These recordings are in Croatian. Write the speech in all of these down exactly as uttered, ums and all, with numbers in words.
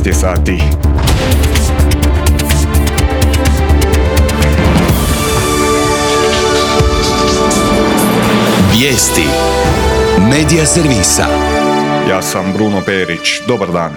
je sati. Vijesti Medija servisa. Ja sam Bruno Perić. Dobar dan.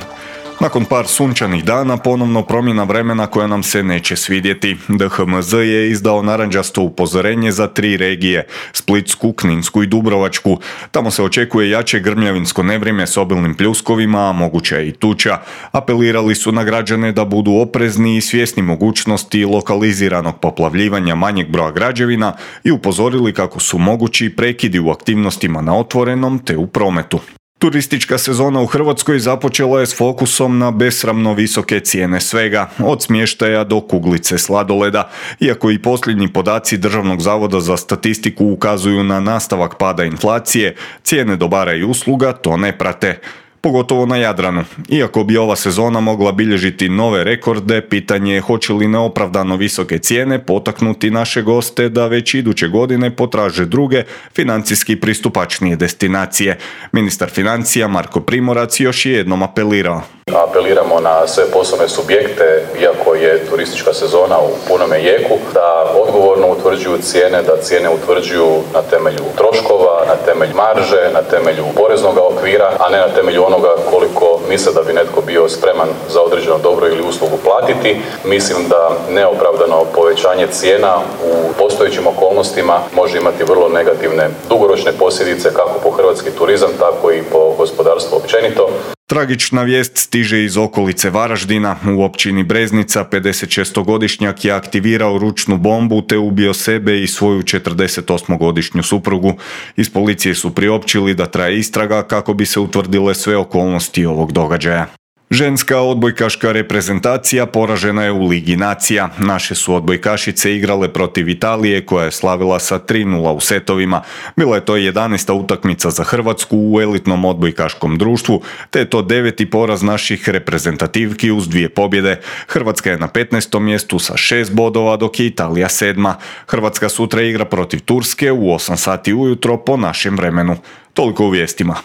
Nakon par sunčanih dana ponovno promjena vremena koja nam se neće svidjeti. D H M Z je izdao narančasto upozorenje za tri regije, Splitsku, Kninsku i Dubrovačku. Tamo se očekuje jače grmljavinsko nevrijeme s obilnim pljuskovima, a moguća je i tuča. Apelirali su na građane da budu oprezni i svjesni mogućnosti lokaliziranog poplavljivanja manjeg broja građevina i upozorili kako su mogući prekidi u aktivnostima na otvorenom te u prometu. Turistička sezona u Hrvatskoj započela je s fokusom na besramno visoke cijene svega, od smještaja do kuglice sladoleda. Iako i posljednji podaci Državnog zavoda za statistiku ukazuju na nastavak pada inflacije, cijene dobara i usluga to ne prate. Pogotovo na Jadranu. Iako bi ova sezona mogla bilježiti nove rekorde, pitanje je hoće li neopravdano visoke cijene potaknuti naše goste da već iduće godine potraže druge, financijski pristupačnije destinacije. Ministar financija Marko Primorac još je jednom apelirao. Apeliramo na sve poslovne subjekte, iako je turistička sezona u punome jeku, da odgovorno utvrđuju cijene, da cijene utvrđuju na temelju troškova, na temelju marže, na temelju poreznog okvira, a ne na temelju onoga koliko misle da bi netko bio spreman za određeno dobro ili uslugu platiti. Mislim da neopravdano povećanje cijena u postojećim okolnostima može imati vrlo negativne dugoročne posljedice kako po hrvatski turizam, tako i po gospodarstvo općenito. Tragična vijest stiže iz okolice Varaždina. U općini Breznica pedesetšestogodišnjak je aktivirao ručnu bombu te ubio sebe i svoju četrdesetosmogodišnju suprugu. Iz policije su priopćili da traje istraga kako bi se utvrdile sve okolnosti ovog događaja. Ženska odbojkaška reprezentacija poražena je u Ligi nacija. Naše su odbojkašice igrale protiv Italije koja je slavila sa tri nula u setovima. Bila je to jedanaesta utakmica za Hrvatsku u elitnom odbojkaškom društvu, te je to deveti poraz naših reprezentativki uz dvije pobjede. Hrvatska je na petnaestom mjestu sa šest bodova, dok je Italija sedma. Hrvatska sutra igra protiv Turske u osam sati ujutro po našem vremenu. Toliko u vijestima.